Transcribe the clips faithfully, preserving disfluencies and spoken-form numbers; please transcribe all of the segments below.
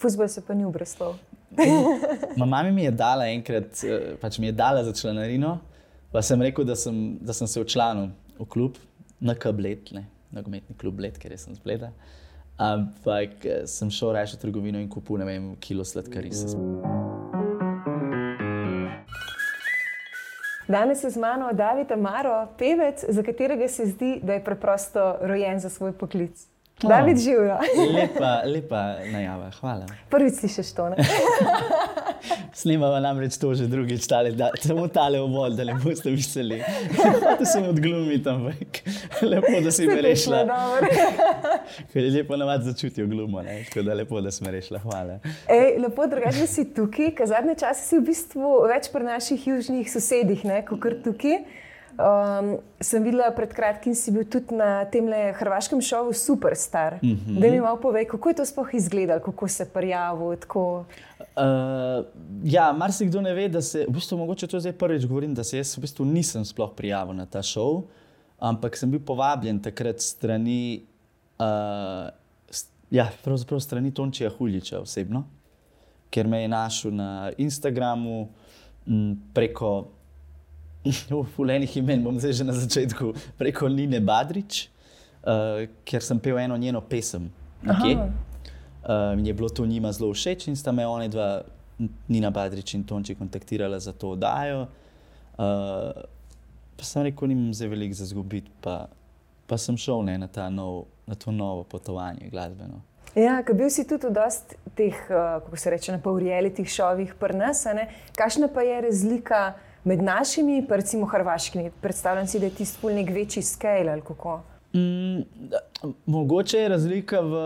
Fuzbol se pa ni obrestal. Mama mi je dala enkrat, pač mi je dala za članarino, pa sem rekel, da sem, da sem se včlanil v klub, na K Bled, ne, nogometni klub Bled, ker sem z Bleda. Ampak sem šel raje v trgovino in kupil, ne vem, kilo sladkarice. Danes je z mano David Amaro, pevec, za katerega se zdi, da je preprosto rojen za svoj poklic. Oh, David, živjo. Lepa, lepa najava, hvala. Prvič slišiš to, ne? Snemava namreč to že drugič, tale, da, samo tale uvod, da ne boste mislili. Hotel sem odglumiti, ampak lepo, da si me rešila. Ker je lepo navad začutijo glumo, ne? Tako da lepo, da si me rešila, hvala. Ej, lepo, drugače, da si tukaj, ker zadnje čase si v bistvu več pri naših južnih sosedih, ne, kakor tukaj. Um, sem videla pred kratkim, si bil tudi na temle hrvaškem šovu Superstar. Mm-hmm. Da mi malo povej, kako je to sploh izgledalo, kako se prijavil, tako... Uh, ja, marsikdo ne ve, da se, v bistvu mogoče to zdaj prvič govorim, da se jaz v bistvu nisem sploh prijavil na ta šov, ampak sem bil povabljen takrat strani, uh, st, ja, pravzaprav strani Tončija Huljiča osebno, ker me je našel na Instagramu m, preko Fulenih imen, bom zdaj že na začetku, preko Nine Badrič, uh, ker sem pel eno njeno pesem nekje. Uh, in je bilo to njima zelo všeč in sta me one dva, Nina Badrič in Tonči, kontaktirala za to oddajo. Uh, pa sem rekel, nimam zdaj veliko za zgubiti, pa, pa sem šel ne, na, ta nov, na to novo potovanje glasbeno. Ja, ker bil si tudi v dosti teh, uh, kako se reče, na pol realitih šovih pri nas, ne? Kakšna pa je razlika med našimi, pa recimo hrvaškimi? Predstavljam si, da je tisti ful nek večji scale, ali kako? Mm, mogoče je razlika v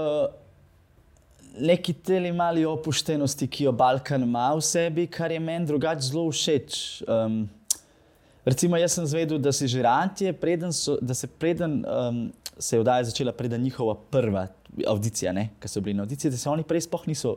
neki teli mali opuštenosti, ki jo Balkan ima v sebi, kar je meni drugače zelo všeč. Um, recimo, jaz sem zvedel, da si žirantje, preden so, da se preden um, se je oddaja začela, preden njihova prva audicija, ne, ko so bili na audiciji, da se oni prej sploh niso,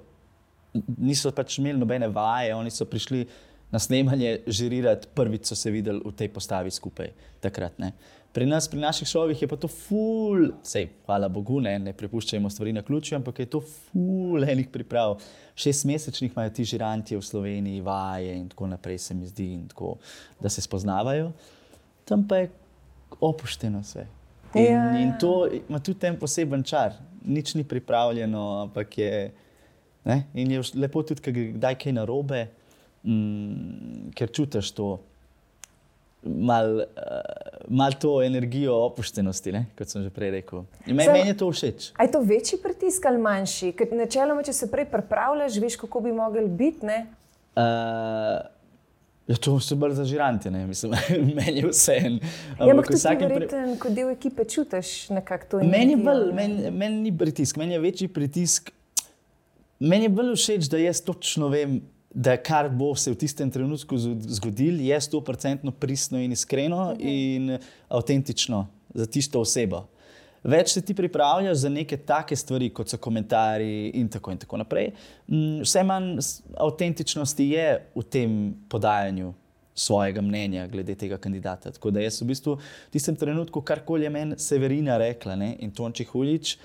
niso pač imeli nobene vaje, oni so prišli na snemanje žirirati, prvič so se videli v tej postavi skupaj takrat, ne. Pri nas, pri naših šovih je pa to ful, sej, hvala Bogu, ne, ne prepuščajmo stvari na ključju, ampak je to ful enih priprav. Šestmesečnih imajo ti žirantje v Sloveniji, vaje in tako naprej, se mi zdi, in tako, da se spoznavajo. Tam pa je opušteno sve. In, ja. in to ima tudi ten poseben čar. Nič ni pripravljeno, ampak je, ne, in je lepo tudi, ker kdaj kaj narobe, mm, ker čutiš to, mal, uh, mal to energijo opuštenosti, ne? Kot sem že prej rekel. In meni, meni je to všeč. A je to večji pritisk ali manjši? Ker načeloma, če se prej pripravljaš, veš, kako bi mogli biti, ne? Uh, ja, to so bolj za žirante, ne? Mislim, meni je vseeno. Ja, ampak tudi verjetno, kot del ekipe čutiš nekako to energijo. Meni je bolj, meni, meni ni pritisk, meni je večji pritisk. Meni je bolj všeč, da jaz točno vem, da kar bo se v tistem trenutku zgodil, je sto procentno pristno in iskreno okay. in avtentično za tisto osebo. Več se ti pripravljaš za neke take stvari, kot so komentarji in tako in tako naprej. Vse manj avtentičnosti je v tem podajanju svojega mnenja glede tega kandidata. Tako da jaz v bistvu v tistem trenutku, karkoli je meni Severina rekla, ne, in Tonči Huljič,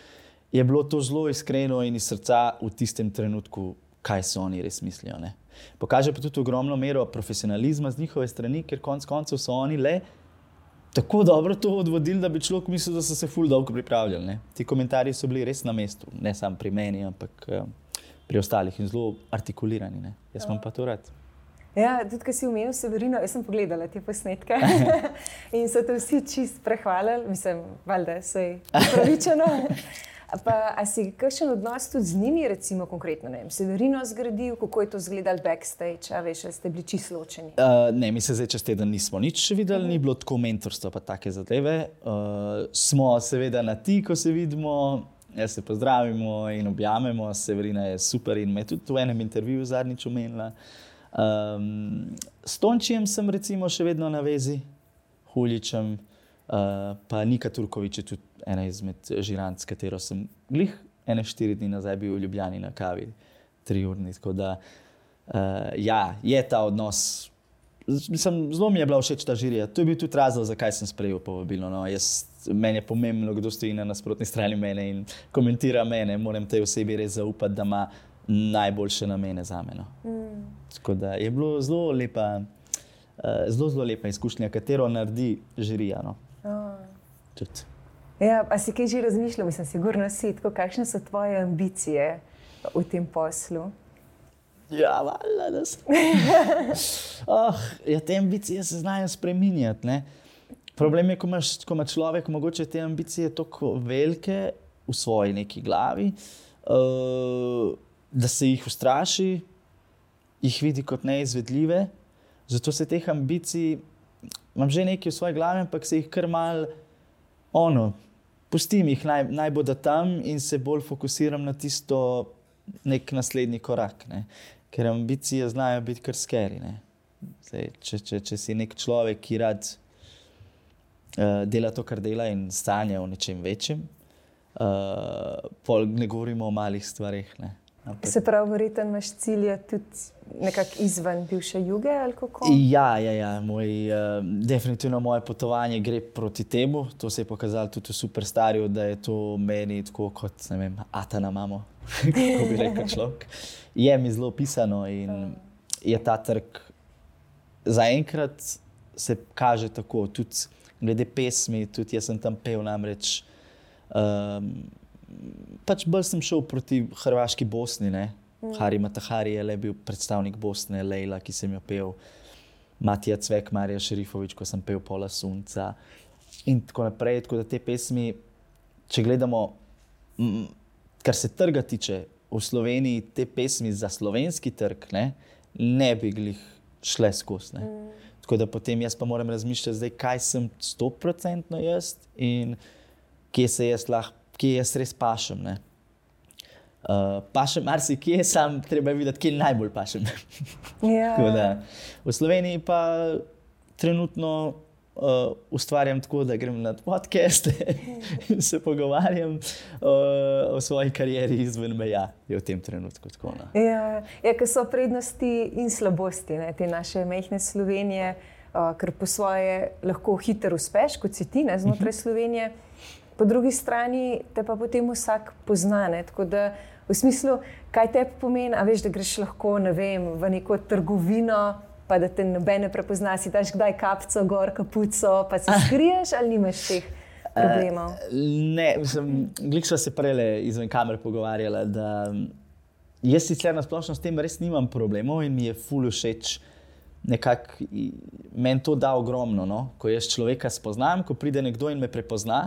je bilo to zelo iskreno in iz srca v tistem trenutku, kaj se oni res mislijo. Ne. Pokaže pa tudi ogromno mero profesionalizma z njihove strani, ker konc koncev so oni le tako dobro to odvodili, da bi človek mislil, da so se ful dolgo pripravljali. Ne. Ti komentarji so bili res na mestu, ne samo pri meni, ampak pri ostalih in zelo artikulirani. Ne. Jaz imam pa to rad. Ja, tudi, ko si omenil Severino, jaz sem pogledala te posnetke in so te vsi čist prehvalili, mislim, valjda, sej pravičeno. Pa, a si kakšen odnos tudi z njimi, recimo konkretno, ne vem, Severino zgradil, kako je to izgledalo backstage, a veš, ste bili čisto ločeni? Uh, ne, mi se zdaj čez teden nismo nič še videli, uh-huh. ni bilo tako mentorstva pa take zadeve. Uh, smo seveda na ti, ko se vidimo, jaz se pozdravimo in objamemo, Severina je super in me tudi v enem intervjuju zadnjič omenila. Um, s Tončijem sem recimo še vedno na vezi, Huljičem, uh, pa Nika Turković je tudi ena izmed žirant, s katero sem glih ene štiri dni nazaj bil v Ljubljani na kavi, tri urni, tako da uh, ja, je ta odnos, mislim, zelo mi je bila všeč ta žirija, to je bil tudi razlog, zakaj sem sprejel povabilo, no, jaz, meni je pomembno, kdo stoji na nasprotni strani mene in komentira mene, moram tej osebi res zaupati, da ima najboljše namene zame. No. Mm. Tako da je bilo zelo lepa, uh, zelo, zelo lepa izkušnja, katero naredi žirija. No. Oh. Ja, a si kaj že razmišljal, mislim, sigurno si, tako, kakšne so tvoje ambicije v tem poslu? Ja, valjda, da sem. oh, ja, te ambicije se znajo spreminjati, ne. Problem je, ko imaš, ko ima človek mogoče te ambicije toliko velike v svoji neki glavi, uh, da se jih ustraši, jih vidi kot neizvedljive. Zato se teh ambicij, imam že nekaj v svoji glavi, ampak se jih kar mal, ono, pustim jih, naj, naj bodo tam in se bolj fokusiram na tisto nek naslednji korak, ne. Ker ambicije znajo biti kar scary, ne. Zdaj, če, če, če si nek človek, ki rad dela to, kar dela in sanja o nečem večjem. Uh, pol ne govorimo o malih stvarih. Ne. Ampak... Se pravi, verjetno imaš cilje tudi nekako izven bivše Juge ali kako? Ja, ja, ja. Moj, uh, definitivno moje potovanje gre proti temu. To se je pokazalo tudi v Superstarju, da je to meni tako kot, ne vem, ata na mamo, kako bi rekel človek. Je mi zelo pisano in je ta trg zaenkrat se kaže tako, tudi glede pesmi, tudi jaz sem tam pel namreč, um, pač bolj sem šel proti hrvaški Bosni, ne. Mm. Hari Matahari je le bil predstavnik Bosne, Lejla, ki sem jo pel, Matija Cvek, Marija Šerifović, ko sem pel Pola Sunca in tako naprej, tako da te pesmi, če gledamo, m, kar se trga tiče, v Sloveniji te pesmi za slovenski trg, ne, ne bi glih šle skozi, ne. Mm. Tako da potem jaz pa moram razmišljati zdaj, kaj sem sto procentno jaz in kje se jaz lahko, kje jaz res pašem, ne. Uh, pašem marsikje, sam treba videti, kje najbolj pašem. Ja. Tako da v Sloveniji pa trenutno uh, ustvarjam tako, da grem na podcaste in se pogovarjam uh, o svoji karieri izven meja, je v tem trenutku tako. No. Ja, ja, ker so prednosti in slabosti, ne, te naše majhne Slovenije, uh, ker po svoje lahko hitro uspeš, kot si ti, ne, znotraj uh-huh. Slovenije. Po drugi strani te pa potem vsak pozna, ne, tako da v smislu, kaj te pomeni, a veš, da greš lahko, ne vem, v neko trgovino, pa da te noben ne prepozna, si daš kdaj kapco gor, kapuco, pa se skriješ ali nimaš teh problemov? Uh, ne, mislim, glih sva se prele izven kamer pogovarjala, da jaz sicer na splošno s tem res nimam problemov in mi je ful všeč nekako, meni to da ogromno, no? Ko jaz človeka spoznam, ko pride nekdo in me prepozna,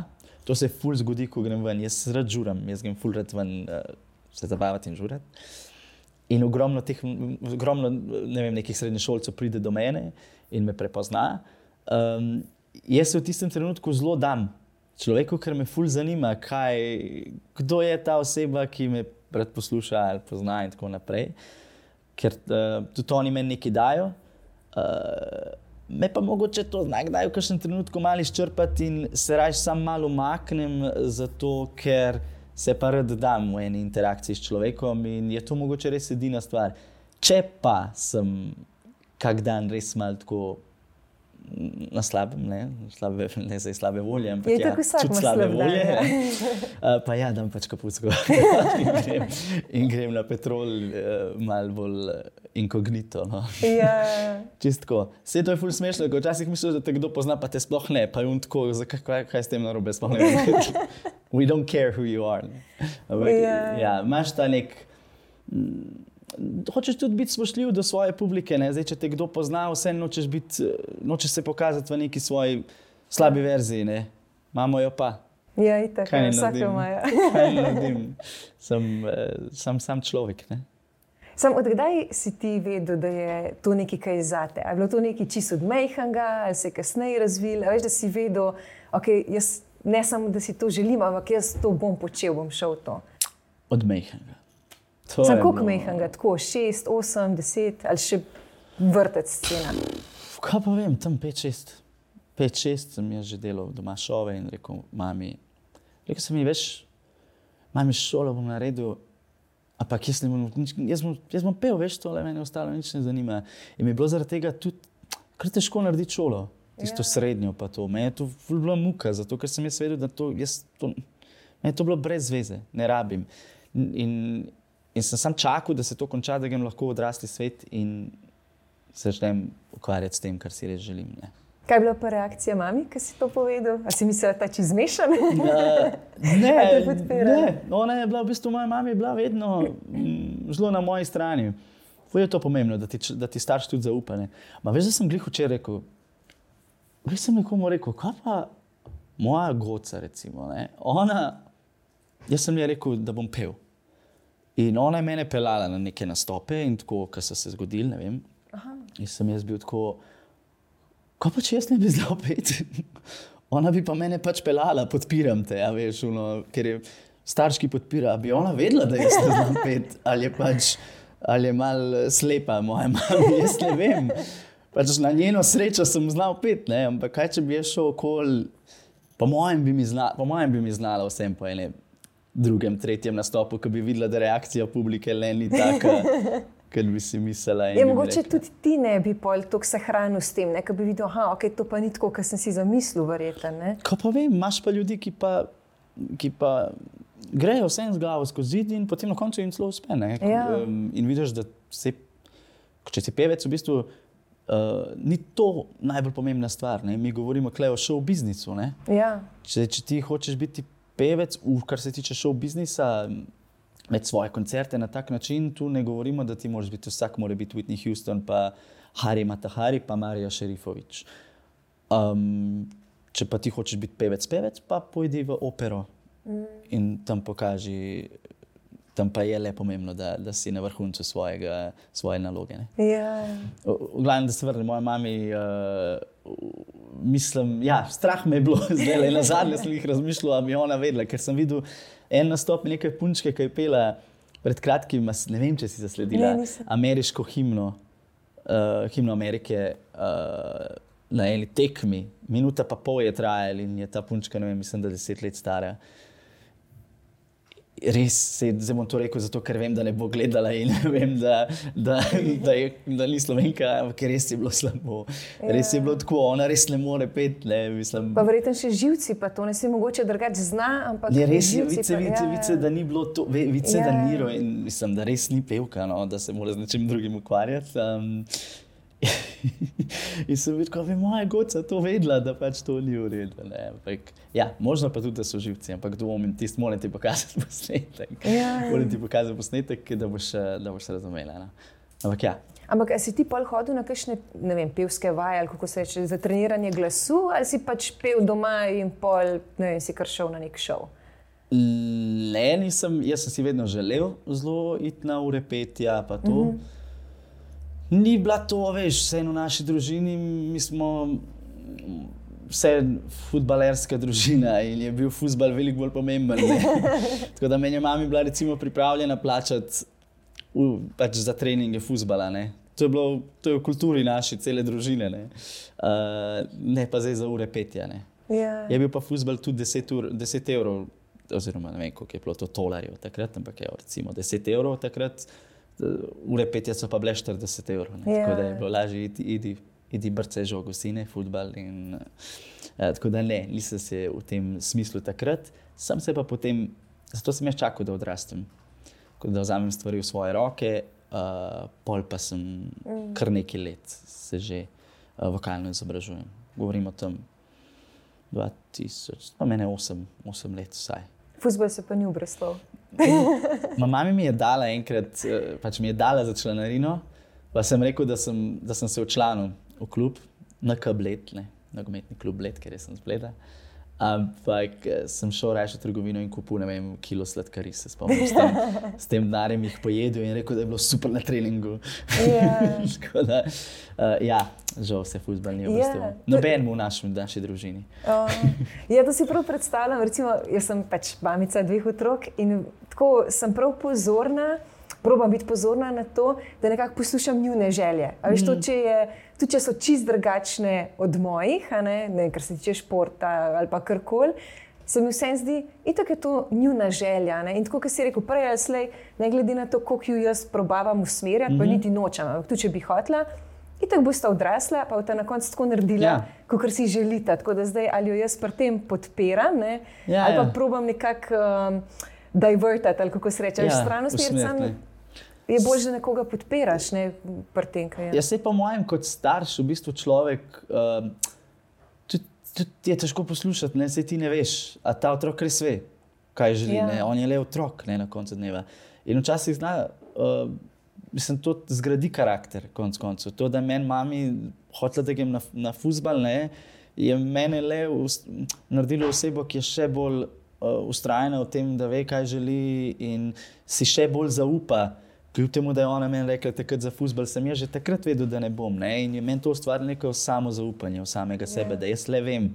to se ful zgodi, ko grem ven, jaz rad žuram, jaz grem ful rad ven uh, se zabavati in žurati. In ogromno teh, ogromno, ne vem, nekih srednješolcev pride do mene in me prepozna. Um, jaz se v tistem trenutku zelo dam človeku, ker me ful zanima, kaj, kdo je ta oseba, ki me rad posluša ali pozna in tako naprej. Ker uh, tudi oni meni nekaj dajo. Uh, me pa mogoče to znak dajo v kakšnem trenutku malo izčrpati in se raje sam malo umaknem, zato ker se pa rad dam v eni interakciji s človekom in je to mogoče res edina stvar. Če pa sem kak dan res malo tako na slabem, ne, slabe, ne zdaj slabe volje, ampak je ja, čut slabe volje. Ja. uh, pa ja, dam pač kapucko in, grem, in grem na Petrol uh, malo bolj inkognito. No. Ja. Čist tako. Vse to je ful smešno, ko včasih misliš, da te kdo pozna, pa te sploh ne, pa je on tako, zakaj, kaj, kaj s tem narobe, sploh ne vem. We don't care who you are. Ampak, ja, ja, imaš ta nek... Hočeš tudi biti spoštljiv do svoje publike, ne? Zdaj, če te kdo pozna, vse nočeš, biti, nočeš se pokazati v neki svoji slabi verziji, ne? Imamo jo pa. Ja, itak, vsake imajo. Kaj ne naredim? Sem, sem sam človek, ne? Sam, odkdaj si ti vedel, da je to nekaj, kaj je zate? A je bilo to nekaj čisto od majhnega, ali se je kasneje razvilo? A veš, da si vedel, ok, jaz ne samo, da si to želim, ampak jaz to bom počel, bom šel v to. Od majhnega. Sam koliko majhnega, tako šest, osem, deset ali še vrtec scena? Kaj pa vem, tam pet, šest. Pet, šest sem jaz že delal doma šove in rekel mami, rekel sem mi, veš, mami, šolo bom naredil, ampak jaz, bom, jaz, bom, jaz bom pel, veš, tole mene ostalo nič ne zanima. In mi je bilo zaradi tega tudi kar težko narediti šolo, tisto ja. Srednjo pa to. Meni je to ful bila muka, zato ker sem jaz vedel, da to, jaz to, meni je to bilo brez veze, ne rabim. In in sem sam čakal, da se to konča, da grem lahko v odrasli svet in se začnem ukvarjati s tem, kar si res želim. Ne. Kaj je bila pa reakcija mami, ki si to povedal? A si mislila, da je ta zmešan? Uh, ne, ne, ona je bila v bistvu, moja mama je bila vedno mm, zelo na moji strani. Je to pomembno, da ti, da ti starš tudi zaupa. Ne. Ma veš, da sem glih včeraj rekel, veš, sem nekomu rekel, kaj pa moja goca, recimo, ne. Ona, jaz sem ji rekel, da bom pel. In ona je mene pelala na neke nastope in tako, kar so se zgodili, ne vem. Aha. In sem jaz bil tako, kaj pa če jaz ne bi znal peti? Ona bi pa mene pač pelala, podpiram te, ja, veš, ono, ker je starš, ki podpira, bi ona vedela, da jaz ne znam peti, ali je pač, ali je malo slepa moja mama, jaz ne vem. Pač na njeno srečo sem znal peti, ne, ampak kaj, če bi jaz šel okoli, po mojem bi mi znala, po mojem bi mi znala vsem po enem drugem, tretjem nastopu, ko bi videla, da reakcija publike le ni taka, ker bi si mislila. Je mogoče tudi ti ne bi pol toliko se hranil s tem, ne? Ko bi videl, aha, ok, to pa ni tako, kot sem si zamislil, verjetno, ne? Ko pa vem, imaš pa ljudi, ki pa, ki pa grejo vsem z glavo skozi zid in potem na koncu jim celo uspe, ne? Ja. Um, in vidiš, da se, če si pevec, v bistvu uh, ni to najbolj pomembna stvar, ne? Mi govorimo tukaj o show biznisu, ne? Ja. Če, če ti hočeš biti pevec, v, kar se tiče show biznisa, med svoje koncerte na tak način, tu ne govorimo, da ti moraš biti, vsak mora biti Whitney Houston, pa Hari Matahari, pa Marija Šerifović. Um, če pa ti hočeš biti pevec, pevec, pa pojdi v opero mm. in tam pokaži, tam pa je le pomembno, da, da si na vrhuncu svojega, svoje naloge. Ne? Ja. V, v glavnem, da se vrnem, moja mami, uh, mislim, ja, strah me je bilo, zdaj le na zadnje sem jih razmišljal, a bi ona vedela, ker sem videl en nastop nekaj punčke, ki je pela pred kratkim, ne vem, če si zasledila, ne, ameriško himno, uh, himno Amerike uh, na eni tekmi. Minuta pa pol je trajala in je ta punčka, ne vem, mislim, da deset let stara. Res se, zdaj bom to rekel zato, ker vem, da ne bo gledala in vem, da, da, da, je, da ni Slovenka, ampak res je bilo slabo. Ja. Res je bilo tako, ona res ne more peti, ne, mislim. Pa verjetno še živci, pa to ne si mogoče drugače zna, ampak ne, res je, živci vice, pa, vice, ja, vice, da ni bilo to, vice, ja. da ni, in mislim, da res ni pevka, no, da se mora z nečim drugim ukvarjati. Um, in sem videl, kako bi moja goca to vedela, da pač to ni v redu. Ampak, ja, možno pa tudi, da so živci, ampak dvomim, tisti moram ti pokazati posnetek. Ja. Moram ti pokazati posnetek, da boš, da boš razumela. No? Ampak ja. Ampak si ti pol hodil na kakšne, ne vem, pevske vaje, ali kako se reče, za treniranje glasu, ali si pač pel doma in pol, ne vem, si kar šel na nek šov? Ne, nisem, jaz sem si vedno želel zelo iti na ure petja, pa to. Mm-hmm. Ni bila to, veš, vse v naši družini, mi smo vse futbalerska družina in je bil fuzbal veliko bolj pomemben. Tako da meni je mami bila recimo pripravljena plačati v, pač za treninge fuzbala. Ne. To je bilo, to je v kulturi naši cele družine, ne, uh, ne pa zdaj za ure petja. Ne. Yeah. Je bil pa fuzbal tudi deset, ur, deset evrov, oziroma ne vem, koliko je bilo to tolarjev takrat, ampak je recimo deset evrov takrat. Ure petja so pa bile štirideset evrov, ne? Yeah. Tako da je bilo lažje iti, idi, idi brce žogo, sine, futbal in uh, tako da ne, nisem se v tem smislu takrat, sem se pa potem, zato sem jaz čakal, da odrastem, da vzamem stvari v svoje roke, uh, pol pa sem mm. kar nekaj let se že uh, vokalno izobražujem. Govorim o tem dva tisoč, pa mene osem, osem let vsaj. Fuzbal se pa ni obreslal. Mama mi je dala enkrat, pač mi je dala za članarino, pa sem rekel, da sem, da sem se včlanil v klub, na K Bled, ne, nogometni klub Bled, ker sem z Bleda. Ampak sem šel raje v trgovino in kupil, ne vem, kilo sladkari, se spomnim, s tem, s tem denarjem jih pojedel in rekel, da je bilo super na treningu. Yeah. Tako da, uh, ja, žal se fuzbal ni obrestil. Yeah. Noben v naši, naši družini. Uh, ja, to si prav predstavljam, recimo, jaz sem pač mamica dveh otrok in tako sem prav pozorna, probam biti pozorna na to, da nekako poslušam njune želje. A veš, to, če je, tudi če so čist drugačne od mojih, a ne, ne, kar se tiče športa ali pa karkoli, se mi vsem zdi, itak je to njuna želja. Ne? In tako, kot si rekel, prej ali slej, ne glede na to, koliko ju jaz probavam usmerjati, mm-hmm. pa niti nočem, ampak tudi, če bi hotela, itak bosta odrasla, pa bosta na koncu tako naredila, ja. Kakor si želita. Tako da zdaj ali jo jaz pri tem podpiram, ne? Ja, ali pa ja. probam nekako um, divertati, ali kako se reče, Ja, stran usmeriti. usmeriti, Sam ne. je bolje, da nekoga podpiraš, ne, pri tem, kaj je. Jaz se pa mojem kot starš, v bistvu človek, uh, tudi, tudi je težko poslušati, ne, saj ti ne veš, a ta otrok res ve, kaj želi, Ja. ne, on je le otrok, ne, na koncu dneva. In včasih zna, uh, mislim, to zgradi karakter, konc koncev. To, da meni mami hotela, da grem na, na fuzbal, ne, je mene le us, naredilo osebo, ki je še bolj uh, ustrajna v tem, da ve, kaj želi in si še bolj zaupa. Kljub temu, da je ona meni rekla, takrat za fuzbal, sem jaz že takrat vedel, da ne bom. Ne? In je meni to ustvarilo neko samozaupanje v samega sebe, da jaz le vem,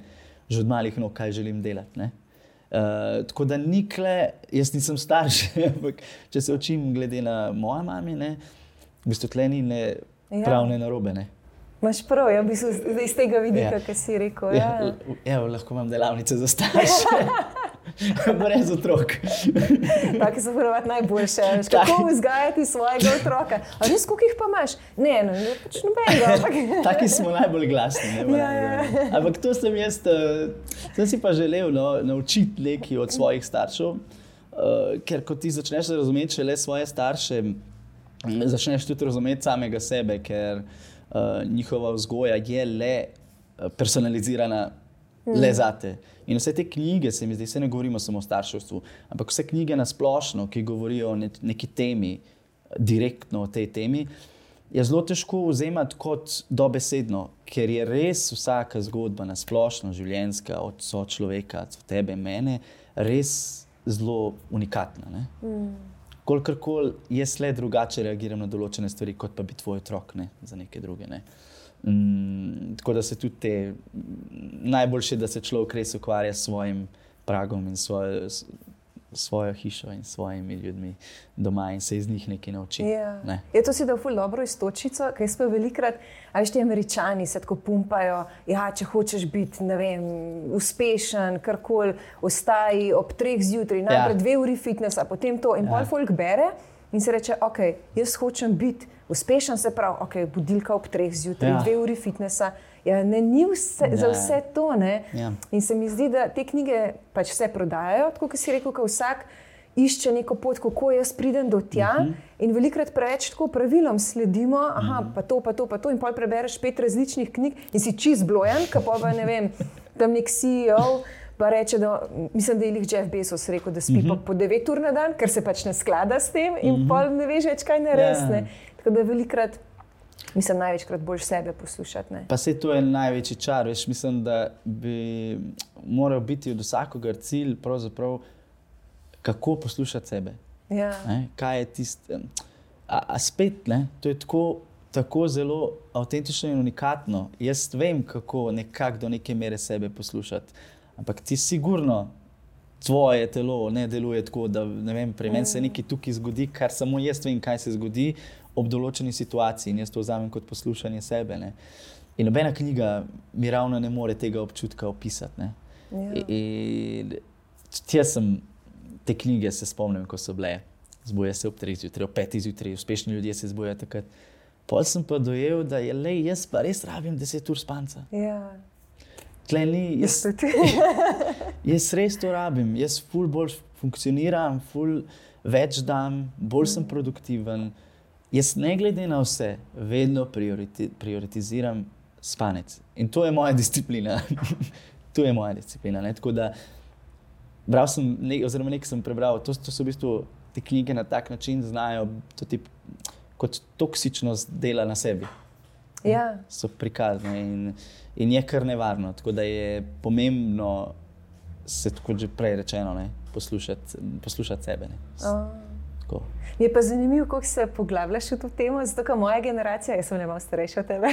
že od malih nog, kaj želim delati. Ne? Uh, tako da nikle, jaz nisem starš, ampak če se učim glede na moja mami, ne, v bistvu tle ni ne Ja. prav ne narobe. Ne? Imaš prav, ja, v bistvu iz tega vidika, Ja. ki si rekel. Ja, Ja. l- evo, lahko imam delavnice za starše. Brez otrok. Taki so ponovadi najboljše. veš, Kako vzgajati svojega otroka? A res, koliko jih pa imaš? Ne, ne, ne pač nobenega. ampak- Taki smo najbolj glasni. Ne, Ja, ja. Ampak to sem jaz, uh, sem si pa želel no, naučiti nekaj od svojih staršev, uh, ker ko ti začneš razumeti šele svoje starše, m, začneš tudi razumeti samega sebe, ker uh, njihova vzgoja je le uh, personalizirana le zate. In vse te knjige, se mi zdi, se ne govorimo samo o starševstvu, ampak vse knjige na splošno, ki govorijo o ne, neki temi, direktno o tej temi, je zelo težko vzemati kot dobesedno, ker je res vsaka zgodba na splošno življenjska, od sočloveka, od tebe, mene, res zelo unikatna. Ne? Mm. Kolikorkoli jaz le drugače reagiram na določene stvari, kot pa bi tvoj otrok, ne, za neke druge. Ne. Mm, tako da se tudi te, najboljše, da se človek res ukvarja s svojim pragom in svojo, s- svojo hišo in svojimi ljudmi doma in se iz njih nekaj nauči. Ja. Ne. Je to si dal ful dobro iztočico, ker jaz pa velikrat, a veš, ti Američani se tako pumpajo, ja, če hočeš biti, ne vem, uspešen, karkoli, ostaji ob treh zjutraj, najprej Ja. dve uri fitnessa, potem to in Ja. pol folk bere in se reče, ok, jaz hočem biti uspešen, se pravi, ok, budilka ob treh zjutraj, Ja. dve uri fitnessa. Ja, ne, ni vse, Ja. za vse to. Ne? Ja. In se mi zdi, da te knjige pač vse prodajajo, tako kot si rekel, ko vsak išče neko pot, kako jaz pridem do tja. Uh -huh. In velikrat preveč tako pravilom sledimo, aha, pa to, pa to, pa to, in pol prebereš pet različnih knjig in si čist blojen, ka pa ne vem, tam nek C E O. Pa reče, da, mislim, da je jih Jeff Bezos rekel, da spi uh -huh. po devet ur na dan, ker se pač ne sklada s tem in uh -huh. pol ne veš več, kaj narediti. Ja. Ne. Tako da velikrat, mislim, največkrat boljš sebe poslušati. Ne. Pa se to je največji čar, veš, mislim, da bi moral biti od vsakogar cilj pravzaprav, kako poslušati sebe. Ja. Ne? Kaj je tisto? A, a spet, ne? To je tako, tako zelo avtentično in unikatno. Jaz vem, kako nekako do neke mere sebe poslušati, ampak ti sigurno tvoje telo ne deluje tako, da ne vem, pri meni se nekaj tukaj zgodi, kar samo jaz vem, kaj se zgodi ob določeni situaciji in jaz to vzamem kot poslušanje sebe. Ne? In nobena knjiga mi ravno ne more tega občutka opisati. Ne? Ja. In jaz sem te knjige se spomnim, ko so bile, zbuja se ob treh zjutraj, ob petih zjutraj, uspešni ljudje se zbujajo takrat. Pol sem pa dojel, da je le jaz pa res rabim deset ur spanca. Ja. Tle ni, jaz, Jaz tudi. jaz res to rabim, jaz ful bolj funkcioniram, ful več dam, bolj sem produktiven. Jaz ne glede na vse, vedno prioriti, prioritiziram spanec. In to je moja disciplina. To je moja disciplina. Ne? Tako da bral sem, ne, oziroma nekaj sem prebral, to, to so v bistvu te knjige na tak način znajo, to ti kot toksičnost dela na sebi. Ja. So prikazane in, in je kar nevarno. Tako da je pomembno se, kot že prej rečeno, ne, poslušati, poslušati sebe. Ne. Oh. Tako. Mi je pa zanimivo, kako se poglabljaš v to temo, zato ker moja generacija, jaz sem ne malo starejša od tebe.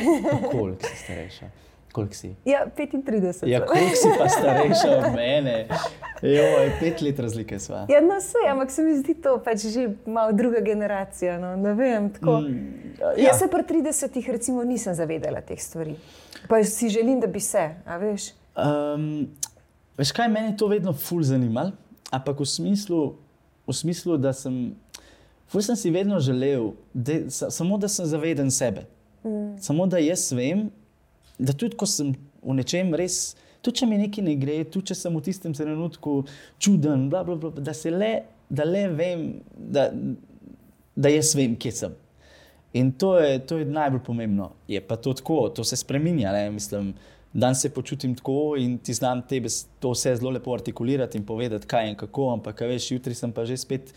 Koliko si starejša? Koliko si? Ja, petintrideset. Ja, koliko si pa starejša od mene? Joj, pet let razlike sva. Ja, no, sej, ampak se mi zdi to pač že malo druga generacija. No, ne vem, tako. Mm, Ja. ja. Jaz se pri tridesetih recimo nisem zavedala teh stvari. Pa si želim, da bi se, a veš? Um, veš kaj, mene je to vedno ful zanimalo, ampak v smislu, v smislu, da sem, ful sem si vedno želel, da, sa, samo da sem zaveden sebe. Mm. Samo da jaz vem, da tudi ko sem v nečem res, tudi če mi nekaj ne gre, tudi če sem v tistem trenutku čuden, bla, bla, bla, da se le da le vem, da, da jaz vem, kje sem. In to je, to je najbolj pomembno. Je pa to tako, to se spreminja, ne, mislim, dan se počutim tako in ti znam tebe to vse zelo lepo artikulirati in povedati, kaj in kako, ampak, veš, jutri sem pa že spet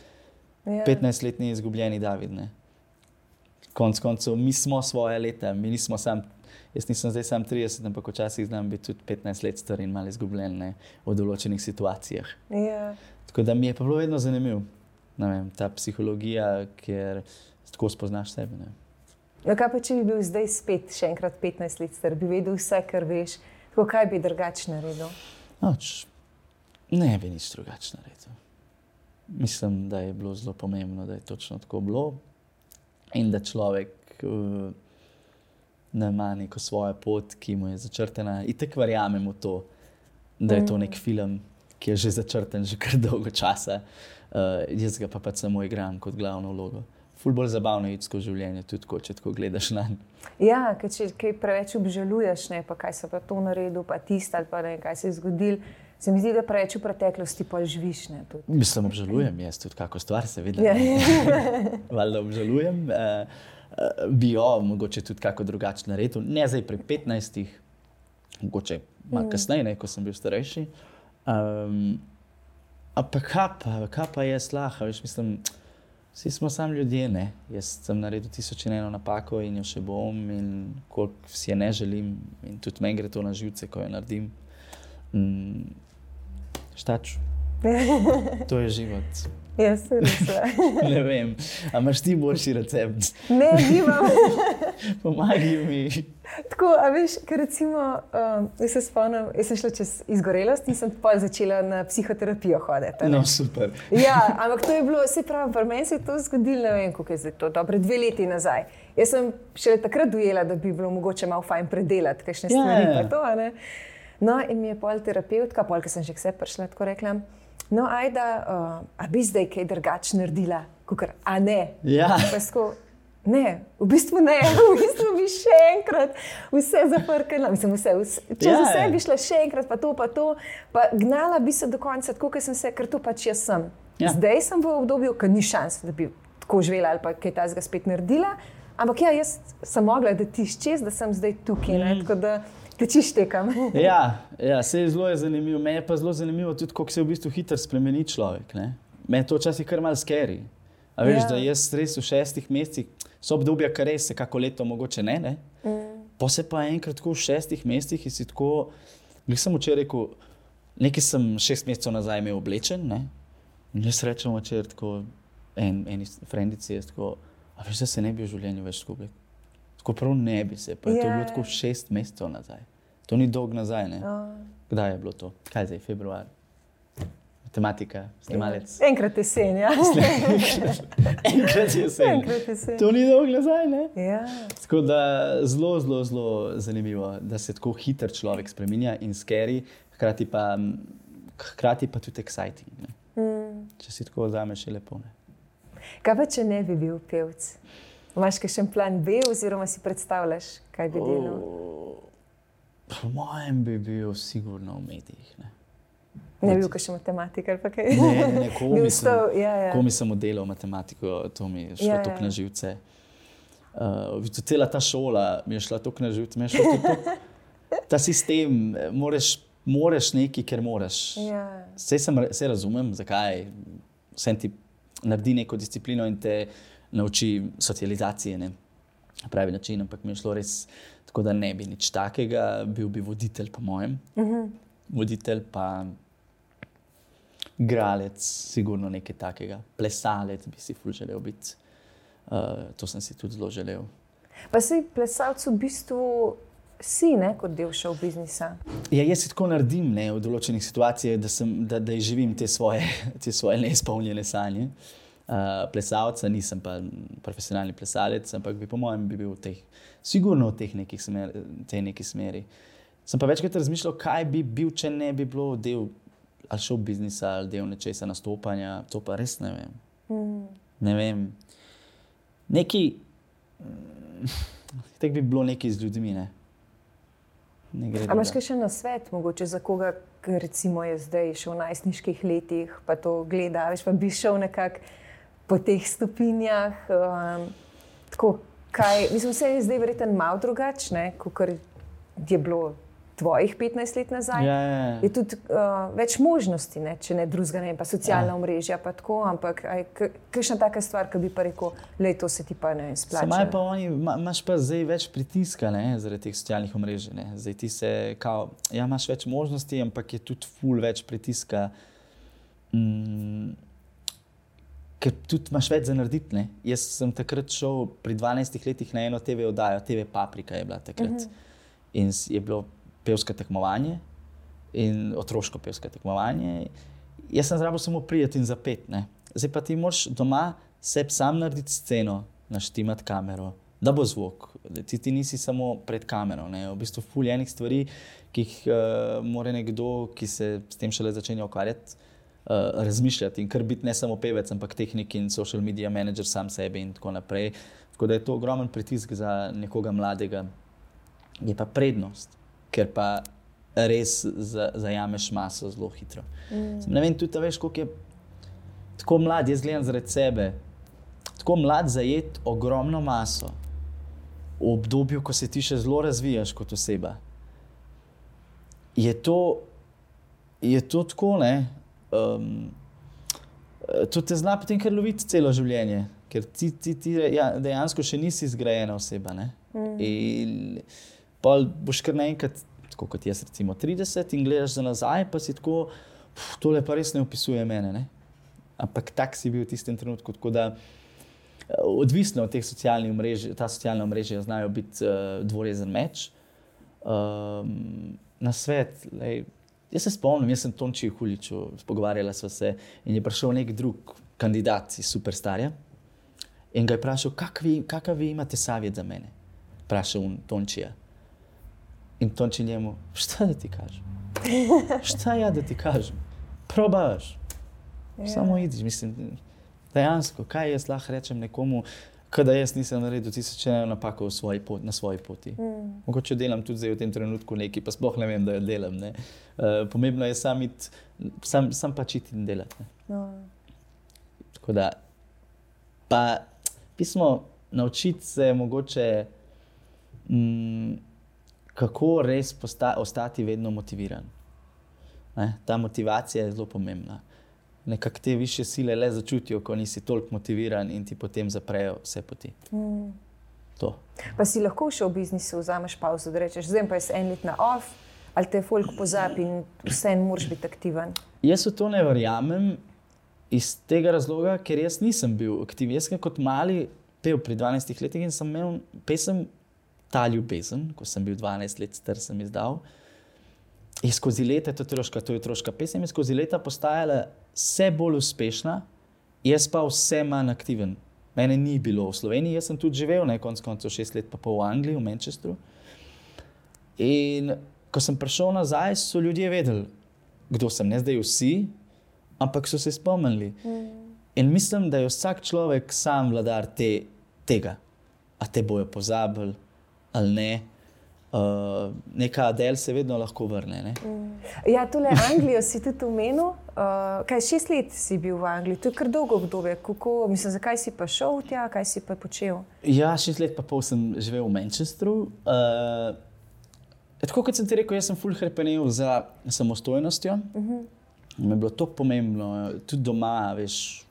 yeah. petnajstletni izgubljeni David, ne. Konc koncev, mi smo svoje leta, mi nismo sam, jaz nisem zdaj sam trideset, ampak včasih znam biti tudi petnajst let star in malo izgubljen, ne, v določenih situacijah. Yeah. Tako da mi je pa bilo vedno zanimiv, ne vem, ta psihologija, ker tako spoznaš sebe, ne. No, kaj pa, če bi bil zdaj spet še enkrat petnajst let star, bi vedel vse, kar veš, tako kaj bi drugače naredil? Noč, ne bi nič drugače naredil. Mislim, da je bilo zelo pomembno, da je točno tako bilo. In da človek uh, ne ima neko svojo pot, ki mu je začrtena. Itak verjamem v to, da je to nek film, ki je že začrten že kar dolgo časa. Uh, jaz ga pa pač samo igram kot glavno vlogo. Ful bolj zabavno je iti skozi življenje, tudi ko, če tako gledaš na nj. Ja, ker če kaj preveč obžaluješ, ne, pa kaj se pa to naredil, pa tisto ali pa ne, kaj se je zgodil, se mi zdi, da preveč v preteklosti pa živiš, ne, tudi. Mislim, obžalujem jaz tudi kako stvar, seveda. Ja. Valjda obžalujem. Uh, uh, bi jo mogoče tudi kako drugače naredil. Ne zdaj pri petnajstih, mogoče malo kasneje, ne, ko sem bil starejši. Um, ampak kaj pa, kaj pa je slaha, veš, mislim, vsi smo sam ljudje, ne. Jaz sem naredil tisoč in eno napako in jo še bom in koliko si je ne želim in tudi meni gre to na živce, ko jo naredim. Mm, štač. To je život. Jaz se res. Ne vem, a imaš ti boljši recept? Ne, nimam. Pomagaj mi. Tako, a veš, ker recimo, um, jaz se spomnim, jaz sem šla čez izgorelost in sem pol začela na psihoterapijo hoditi. No, super. Ja, ampak to je bilo, se pravi, pri meni se je to zgodilo, ne vem, koliko je zdaj to, dobre dve leti nazaj. Jaz sem šele takrat dojela, da bi bilo mogoče malo fajn predelati kakšne stvari, Ja. pa to, a ne. No, in mi je pol terapeutka, pol, ker sem že k sebi prišla, tako rekla, no, ajda, uh, a bi zdaj kaj drugače naredila, kakor, a ne. Ja. Pa sko, ne, v bistvu ne, v bistvu bi še enkrat vse zaprkala, mislim vse, vse čez Ja. vse bi šla še enkrat, pa to, pa to, pa gnala bi se do konca, tako, ker sem se, ker to pač jaz sem. Ja. Zdaj sem v obdobju, ker ni šans, da bi tako živela ali pa kaj tazga spet naredila, ampak ja, jaz sem mogla, da tiš čez, da sem zdaj tukaj, ne, tako da tečiš tekam. Ja, ja, se je zelo je zanimivo. Meni je pa zelo zanimivo tudi, kako se v bistvu hitro spremeni človek, ne. Meni je to včasih kar malo scary. A veš, Ja. da jaz res v šestih mesecih, so obdobja, kar res se kako leto mogoče ne, ne. Mm. Pa se pa enkrat tako v šestih mesecih in si tako, glih sem včeraj rekel, nekaj sem šest mesecev nazaj imel oblečen, ne. In jaz rečem včeraj tako, en, eni frendici je tako, a veš, da se ne bi v življenju več tako oblekel. Tako prav ne bi se, pa je to Ja. bilo tako šest mesecev nazaj. To ni dolg nazaj, ne. Oh. Kdaj je bilo to? Kaj zdaj, februar? Matematika, snemalec. Enkrat jesen, ja. Enkrat jesen. Enkrat jesen. To ni dolg nazaj, ne? Ja. Tako da zelo, zelo, zelo zanimivo, da se tako hiter človek spreminja in scary, hkrati pa, hkrati pa tudi exciting, ne. Mm. Če si tako vzameš, je lepo, ne. Kaj pa, če ne bi bil pevec? Imaš kakšen plan B oziroma si predstavljaš, kaj bi delal? O, po mojem bi bil sigurno v medijih, ne. Ne bi bil kakšen matematik ali pa kaj? Ne, ne, ne, Bi komi sem, ostal, ja, ja. komi sem oddelal matematiko, to mi je šlo Ja, ja, ja. toliko na živce. Uh, cela ta šola mi je šla toliko na živce, mi je šlo toliko, ta sistem, moraš, moraš nekaj, ker moraš. Ja. Saj sem, se razumem, zakaj, vsem ti naredi neko disciplino in te nauči socializacije, ne, na pravi način, ampak mi je šlo res tako, da ne bi nič takega, bil bi voditelj po mojem. Mhm. Voditelj pa igralec, sigurno nekaj takega. Plesalec bi si ful želel biti. Uh, to sem si tudi zelo želel. Pa si plesalec v bistvu si, ne, kot del show biznisa. Ja, jaz si tako naredim, ne, v določenih situacijah, da, sem, da, da živim te svoje, te svoje neizpolnjene sanje. Uh, plesalca nisem pa profesionalni plesalec, ampak bi po mojem bi bil v teh, sigurno v teh nekih smer, tej neki smeri. Sem pa večkrat razmišljal, kaj bi bil, če ne bi bilo del ali show biznisa, ali del nečesa nastopanja, to pa res ne vem. Mm. Ne vem. Neki, tek bi bilo nekaj z ljudmi, ne. Ne gre A imaš drugega. kakšen nasvet, mogoče za koga, ki recimo je zdaj še v najstniških letih, pa to gleda, veš, pa bi šel nekako po teh stopinjah. Um, tako, kaj, mislim, vse je zdaj verjetno malo drugačne, kot je bilo tvojih petnajst let nazaj. Ja, ja, ja. Je tudi uh, več možnosti, ne? Če ne drugega, ne pa socialna ja. omrežja, pa tako, ampak kakšna taka stvar, ki bi pa rekel, lej, to se ti pa ne splača. Samaj pa oni, ma, imaš pa zdaj več pritiska, ne, zaradi teh socialnih omrežij, ne. Zdaj ti se, kao, ja, imaš več možnosti, ampak je tudi ful več pritiska, mm, ker tudi imaš več za narediti, ne. Jaz sem takrat šel pri dvanajstih letih na eno te ve oddajo, te ve Paprika je bila takrat. Uh-huh. In je bilo pevsko tekmovanje in otroško pevsko tekmovanje. Jaz sem zrabil samo prijeti in zapet, ne. Zdaj pa ti moraš doma sebi sam narediti sceno, naštimati kamero, da bo zvok. Ti, ti nisi samo pred kamero, ne. V bistvu ful enih stvari, ki jih uh, mora nekdo, ki se s tem šele začenja ukvarjati, uh, razmišljati in kar biti ne samo pevec, ampak tehnik in social media manager sam sebe in tako naprej. Tako da je to ogromen pritisk za nekoga mladega. Je pa prednost, ker pa res zajameš maso zelo hitro. Mm. Ne vem, tudi veš, koliko je tako mlad, jaz gledam zaradi sebe, tako mlad zajet ogromno maso v obdobju, ko se ti še zelo razvijaš kot oseba. Je to, je to tako, ne, um, to te zna potem kar loviti celo življenje, ker ti, ti, ti ja, dejansko še nisi zgrajena oseba, ne. Mm. In pa boš kar naenkrat, tako kot jaz recimo trideset in gledaš za nazaj, pa si tako, pf, tole pa res ne opisuje mene, ne. Ampak tak si bil v tistem trenutku, tako da odvisno od teh socialnih omrežij, ta socialna omrežja znajo biti uh, dvorezen meč. Um, na svet, lej, jaz se spomnim, jaz sem Tončiju Huliču, pogovarjala sva se in je prišel nek drug kandidat iz Superstarja in ga je vprašal, kakav vi imate savjet za mene? Vprašal Tončija. In Tonči njemu, šta da ti kažem? Šta ja da ti kažem? Probaš. Yeah. Samo idiš, mislim, dejansko, kaj jaz lahko rečem nekomu, kada jaz nisem naredil tisoč eno napako svoji pot, na svoji poti. Mm. Mogoče delam tudi zdaj v tem trenutku nekaj, pa sploh ne vem, da jo delam. Ne? Uh, pomembno je sam, it, sam, sam pač iti in delati. Ne? No. Tako da, pa pismo naučiti se mogoče mm, kako res posta, ostati vedno motiviran. Ne? Ta motivacija je zelo pomembna. Nekako te višje sile le začutijo, ko nisi toliko motiviran in ti potem zaprejo vse poti. Mm. To. Pa si lahko še v biznisu vzameš pauzo, da rečeš, zdaj pa je en let na off, ali te folk pozabi in vse moraš biti aktiven? Jaz v to ne verjamem iz tega razloga, ker jaz nisem bil aktiven. Jaz sem kot mali pel pri dvanajstih letih in sem imel pesem Ta ljubezen, ko sem bil dvanajst let star, sem izdal. In skozi leta, to je otroška, to je otroška pesem, je skozi leta postajala vse bolj uspešna, jaz pa vse manj aktiven. Mene ni bilo v Sloveniji, jaz sem tudi živel, ne, konc koncev šest let pa pol v Angliji, v Manchesteru. In ko sem prišel nazaj, so ljudje vedeli, kdo sem, ne zdaj vsi, ampak so se spomnili. Mm. In mislim, da je vsak človek sam vladar te, tega. A te bojo pozabili, ali ne. Uh, neka Adele se vedno lahko vrne. Ne? Mm. Ja, tole Anglijo si tudi omenil. Uh, kaj, šest let si bil v Angliji, to je kar dolgo obdobje. Kako, mislim, zakaj si pa šel tja, kaj si pa počel? Ja, šest let pa pol sem živel v Manchesteru. Uh, tako kot sem ti rekel, jaz sem ful hrepenel za samostojnostjo. Uh-huh. Mi je bilo to pomembno, tudi doma, veš,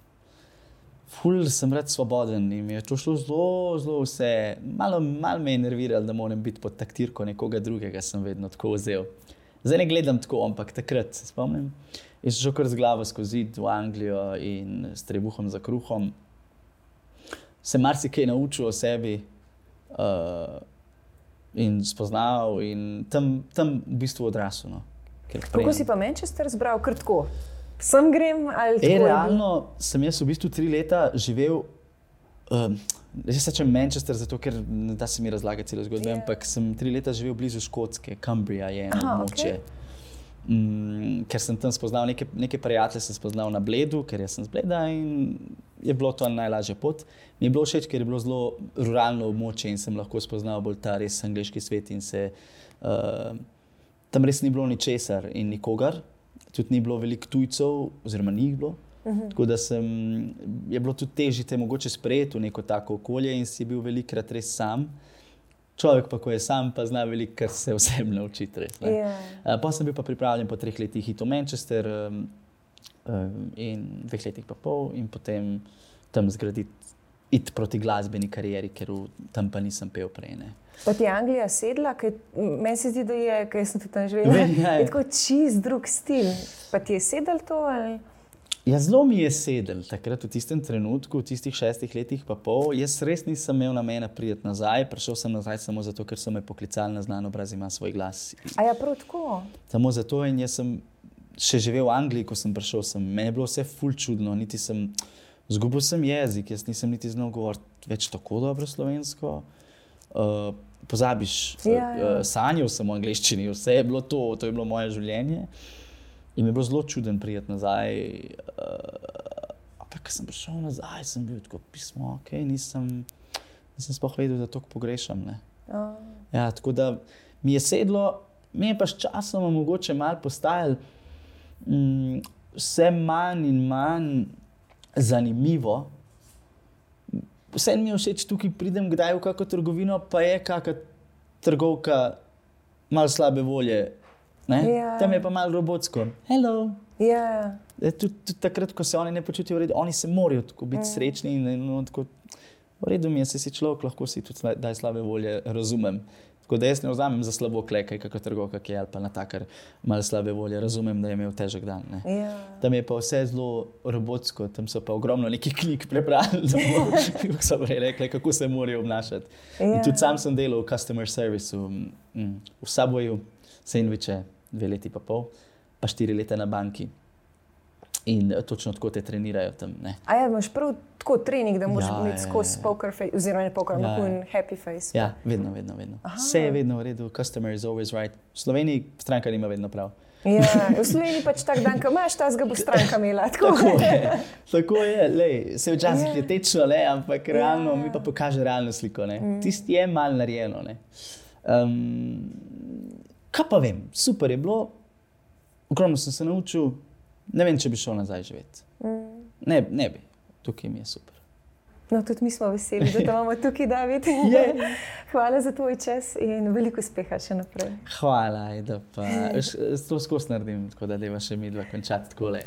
ful sem rad svoboden in mi je to šlo zelo, zelo vse. Malo, malo me je nerviralo, da moram biti pod taktirko nekoga drugega, sem vedno tako vzel. Zdaj ne gledam tako, ampak takrat se spomnim. Jaz sem šel kar z glavo skozi zid v Anglijo in s trebuhom za kruhom. Se marsikaj naučil o sebi uh, in spoznal in tam, tam v bistvu odrasel. No. Kako si pa Manchester zbral? Kar tako? Sem grem ali tako? E, realno sem jaz v bistvu tri leta živel, um, jaz se rečem Manchester, zato ker ne da se mi razlagati celo zgodbe, yeah. ampak sem tri leta živel blizu Škotske, Cumbria je eno območje. Okay. Um, ker sem tam spoznal neke, neke prijatelje, sem spoznal na Bledu, ker jaz sem z Bleda in je bilo to najlažja pot. Mi je bilo všeč, ker je bilo zelo ruralno območje in sem lahko spoznal bolj ta res angleški svet in se uh, tam res ni bilo ničesar in nikogar, tudi ni bilo veliko tujcev, oziroma ni jih bilo. Uh-huh. Tako da sem, je bilo tudi težje te mogoče sprejeti v neko tako okolje in si bil velikrat res sam. Človek pa, ko je sam, pa zna veliko, kar se vsem naučiti. Res, yeah. uh, pa sem bil pa pripravljen po treh letih iti v Manchester um, um, in dveh letih pa pol in potem tam zgraditi, iti proti glasbeni karieri, ker v, tam pa nisem pel prej. Ne. Pa ti je Anglija sedla? Kaj, meni se zdi, da je, ker sem tudi tam živela, je tako čist drug stil. Pa ti je sedel to ali... Ja, zelo mi je sedel takrat v tistem trenutku, v tistih šestih letih pa pol. Jaz res nisem imel namena priti nazaj, prišel sem nazaj samo zato, ker so me poklicali na Znan obraz ima svoj glas. A ja, prav tako? Samo zato in jaz sem še živel v Angliji, ko sem prišel sem. Meni je bilo vse ful čudno, niti sem, zgubil sem jezik, jaz nisem niti znal govoriti več tako dobro slovensko. Uh, pozabiš, ja, ja. Uh, sanjal sem v angleščini, vse je bilo to, to je bilo moje življenje. In mi je bilo zelo čuden priti nazaj. Uh, pa, ko sem prišel nazaj, sem bil tako pismo, ok, nisem, nisem sploh vedel, da toliko pogrešam. Ne. Oh. Ja, tako da mi je sedlo, mi je pa s časom mogoče malo postajalo um, vse manj in manj zanimivo. Vse mi je všeč tukaj, pridem kdaj v kakšno trgovino, pa je kakšna trgovka malo slabe volje. Yeah. Tam je pa malo robotsko. Hello. Yeah. Tudi, tudi takrat, ko se oni ne počutijo v redu, oni se morajo tako biti mm. srečni. In, in, in, tako, v redu mi je, se si človek, lahko si tudi daj slabe volje, razumem. Tako da jaz ne vzamem za slabo klekaj, kako trgovka, ki je ali pa natakar malo slabe volje. Razumem, da je imel težek dan. Ne. Yeah. Tam je pa vse zelo robotsko, tam so pa ogromno nekih knjig prebrali, kako so prej rekli, kako se morajo obnašati. Yeah. In tudi sam sem delal v customer serviceu, mm, v Subwayu, sendviče, dve leti pa pol, pa štiri leta na banki. In točno tako te trenirajo tam. Ne. A ja, imaš prav tako trening, da moraš ja, imeti skozi poker face, oziroma ne poker, ampak ja, happy face. Ja, vedno, vedno, vedno. Aha. Vse je vedno v redu, customer is always right. V Sloveniji stranka nima vedno prav. Ja, v Sloveniji pač tak dan, ko imaš, ta zga bo stranka imela. Tako, tako je, tako je. Lej, se včasih yeah. je tečno, le, ampak realno yeah. mi pa pokaže realno sliko. Ne. Mm. Tisti je malo narejeno. Ne. Um, kaj pa vem, super je bilo, ogromno sem se naučil, ne vem, če bi šel nazaj živeti. Mm. Ne, ne bi, tukaj mi je super. No, tudi mi smo veseli, da te imamo tukaj, David. Yeah. Hvala za tvoj čas in veliko uspeha še naprej. Hvala, da pa to skozi naredim, tako da deva še mi dva končati takole.